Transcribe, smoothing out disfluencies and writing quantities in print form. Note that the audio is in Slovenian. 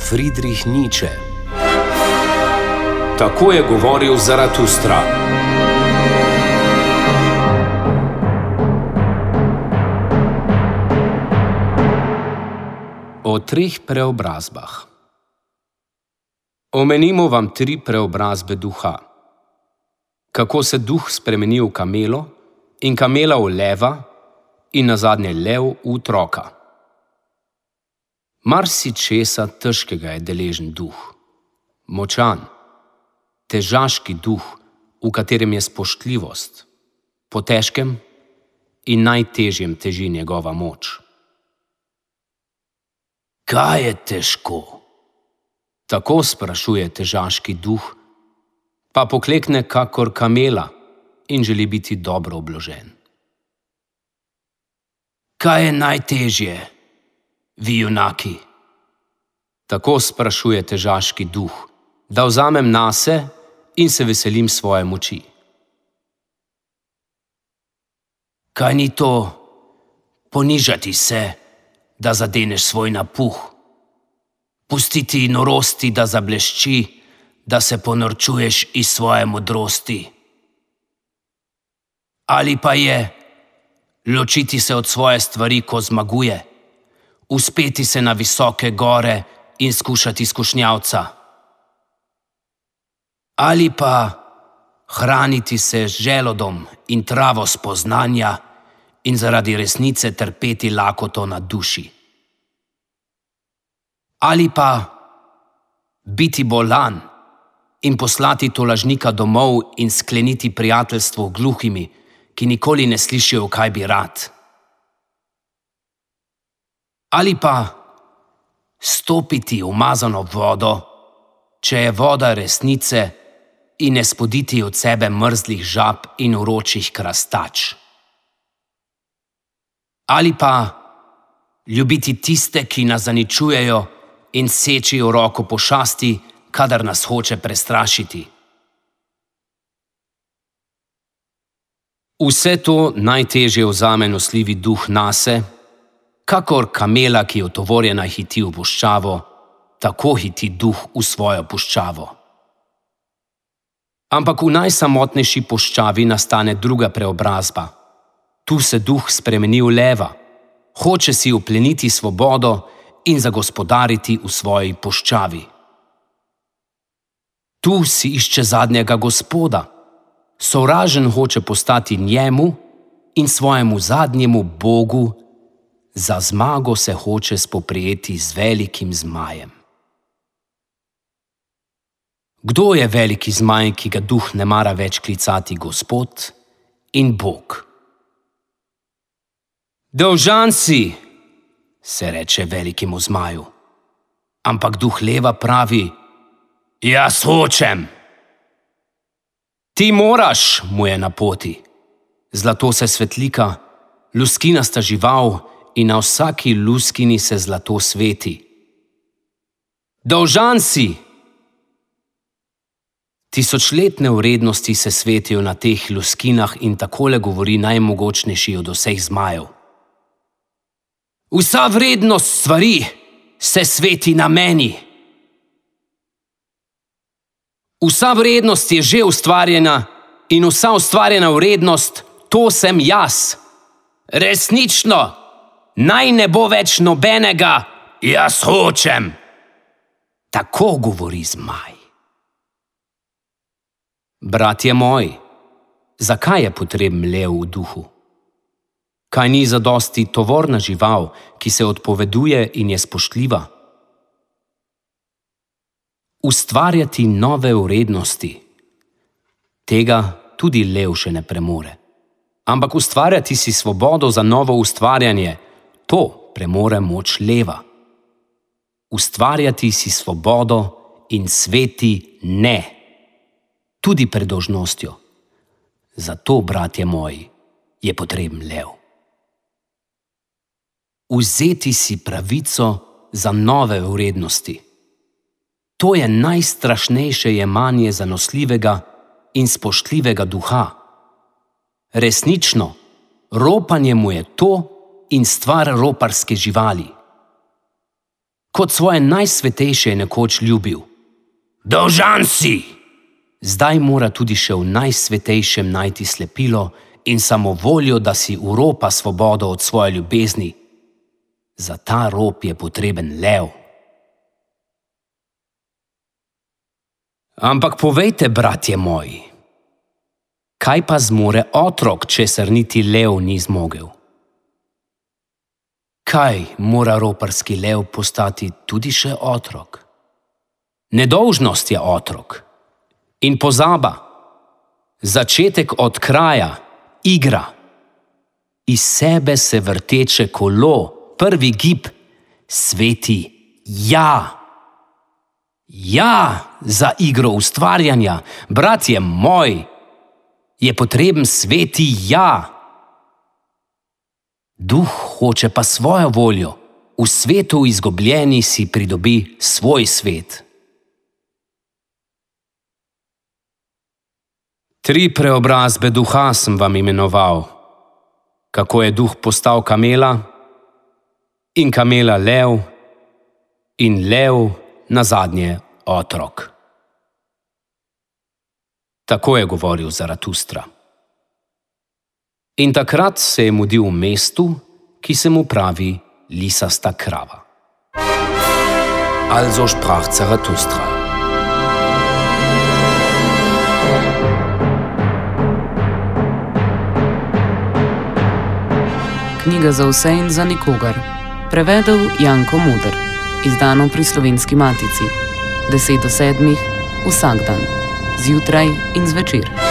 Friedrich Nietzsche. Tako je govoril Zaratustra. O treh preobrazbah. Omenimo vam 3 preobrazbe duha. Kako se duh spremeni v kamelo in kamela v leva in nazadnje lev v otroka. Marsičesa težkega je deležen duh. Močan, težaški duh, v katerem je spoštljivost. Po težkem in najtežjem teži njegova moč. Kaj je težko? Tako sprašuje težaški duh, pa poklekne kakor kamela in želi biti dobro obložen. Kaj je najtežje, vi junaki? Tako sprašuje težaški duh, da vzamem nase in se veselim svoje moči. Kaj ni to ponižati se, da zadeneš svoj napuh? Pustiti norosti, da zablešči, da se ponorčuješ iz svoje modrosti? Ali pa je ločiti se od svoje stvari, ko zmaguje, uspeti se na visoke gore in skušati skušnjavca? Ali pa hraniti se z želodom in travo spoznanja in zaradi resnice trpeti lakoto na duši? Ali pa biti bolan in poslati tolažnika domov in skleniti prijateljstvo gluhimi, ki nikoli ne slišijo, kaj bi rad? Ali pa stopiti v umazano vodo, če je voda resnice, in ne spoditi od sebe mrzlih žab in vročih krastač? Ali pa ljubiti tiste, ki nas zaničujejo in sečijo roko pošasti, kadar nas hoče prestrašiti? Vse to najtežje vzame nosljivi duh nase, kakor kamela, ki je utovorjena, hiti v puščavo, tako hiti duh v svojo puščavo. Ampak v najsamotnejši puščavi nastane druga preobrazba. Tu se duh spremeni v leva, hoče si upleniti svobodo in zagospodariti v svoji puščavi. Tu si išče zadnjega gospoda, sovražen hoče postati njemu in svojemu zadnjemu bogu, za zmago se hoče spoprijeti z velikim zmajem. Kdo je veliki zmaj, ki ga duh ne mara več klicati Gospod in Bog? Dolžan si, se reče velikemu zmaju. Ampak duh leva pravi, jaz hočem. Ti moraš, mu je na poti. Zlato se svetlika, luskinasta žival in na vsaki luskini se zlato sveti. Dolžan si! Tisočletne vrednosti se svetijo na teh luskinah in takole govori najmogočnejši od vseh zmajev. Vsa vrednost stvari se sveti na meni. Vsa vrednost je že ustvarjena in vsa ustvarjena vrednost, to sem jaz. Resnično, naj ne bo več nobenega, jaz hočem. Tako govori zmaj. Bratje moji, zakaj je potreben lev v duhu? Kaj ni zadosti tovorna žival, ki se odpoveduje in je spoštljiva? Ustvarjati nove vrednosti. Tega tudi lev še ne premore. Ampak ustvarjati si svobodo za novo ustvarjanje, to premore moč leva. Ustvarjati si svobodo in sveti ne. Tudi pred dolžnostjo. Zato, bratje moji, je potreben lev. Vzeti si pravico za nove vrednosti. To je najstrašnejše jemanje zanosljivega in spoštljivega duha. Resnično, ropanje mu je to in stvar roparske živali. Kot svoje najsvetejše je nekoč ljubil. Dolžan si! Zdaj mora tudi še v najsvetejšem najti slepilo in samovoljo, da si uropa svobodo od svoje ljubezni. Za ta rop je potreben lev. Ampak povejte, bratje moji, kaj pa zmore otrok, česar niti lev ni zmogel? Kaj mora roparski lev postati tudi še otrok? Nedolžnost je otrok in pozaba, začetek od kraja, igra, iz sebe se vrteče kolo, prvi gib, sveti ja. Ja, za igro ustvarjanja, bratje moj, je potreben sveti ja. Duh hoče pa svojo voljo, v svetu izgubljeni si pridobi svoj svet. 3 preobrazbe duha sem vam imenoval, kako je duh postal kamela, in kamela lev, in lev nazadnje otrok. Tako je govoril Zaratustra. In takrat se je mudil v mestu, ki se mu pravi lisasta krava. Also sprach Zaratustra. Knjiga za vse in za nikogar. Prevedel Janko Moder. Izdano pri Slovenski matici. 10 do 7 vsak dan. Zjutraj in zvečer.